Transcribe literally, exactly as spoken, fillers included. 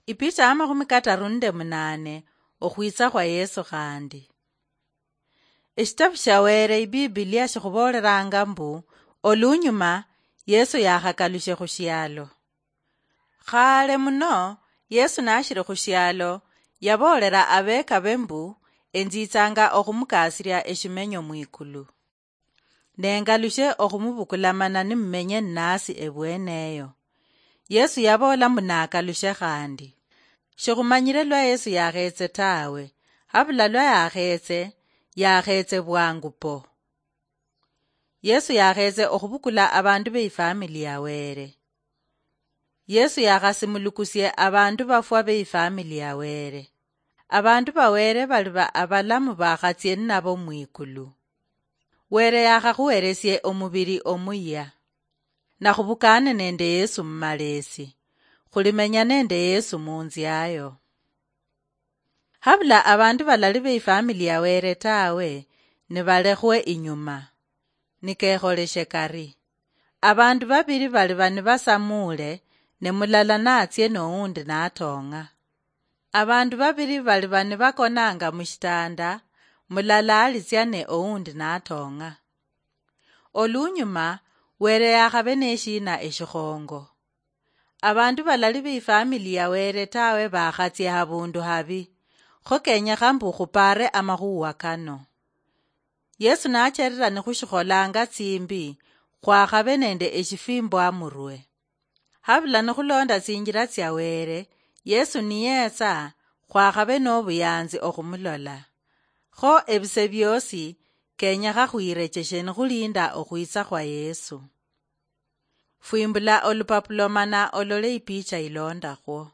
Ipicha ya makhumi kataru nende munane. Okhwitsa khwa Yesu khandi. Eshitabu shia Wele, Ibibilia, shikhuboolelanga mbu, olunyuma Yesu yakhakalushe khushialo. Khale muno, Yesu nashili khushialo, yaboolela abekabe mbu, "Enzitsanga okhumukasilia eshimenyo mwikulu. Nengalushe okhumubukula mana nimumenye nnasi ebweneyo." Yesu yaboola mbu nakalushe khandi. Shikhumanyile lwa Yesu yakhetse tawe, habula lwa yakhetse, yakhetse bwangu po. Yesu yakhetse okhubukula abandu beifamili ya Wele. Yesu yakhasimulukusie abandu bafwa beifamili ya Wele. Abandu ba Wele bali ba abalamu bakhatsie ninabo mwikulu. Wele yakhakhuhelesie omubili omuyia. Nakhubukane nende Yesu mumalesi. Khulimenya nende Yesu munziayo. Habula abandu balali beifamili ya Wele tawe, nibalekhwe inyuma. Nikekholeshe kari. Abandu babili bali bani basamuule, ne mulala natsie noundi natong'a. Abandu babili bali bani bakonanga mushitanda, mulala alitsia ne oundi natong'a. Olunyuma, Wele yakhabe neshina eshikhongo. Abandu balali beifamili ya Wele tawe bakhatsie habundu habi, kho kenyekha mbu khupaare amakhuwa kano. Yesu nacherera nikhushikholanga tsimbi, khwakhabe nende eshifimbwa murwe. Habula nikhulonda tsinjila tsia Wele, Yesu niyetsa, khwakhabe nobuyanzi okhumulola. Kho ebise biosi, kenyekha khwirecheshe nikhulinda okhwitsa khwa Yesu. Fwimbula olupapulo mana olole ipicha ilondakhwo.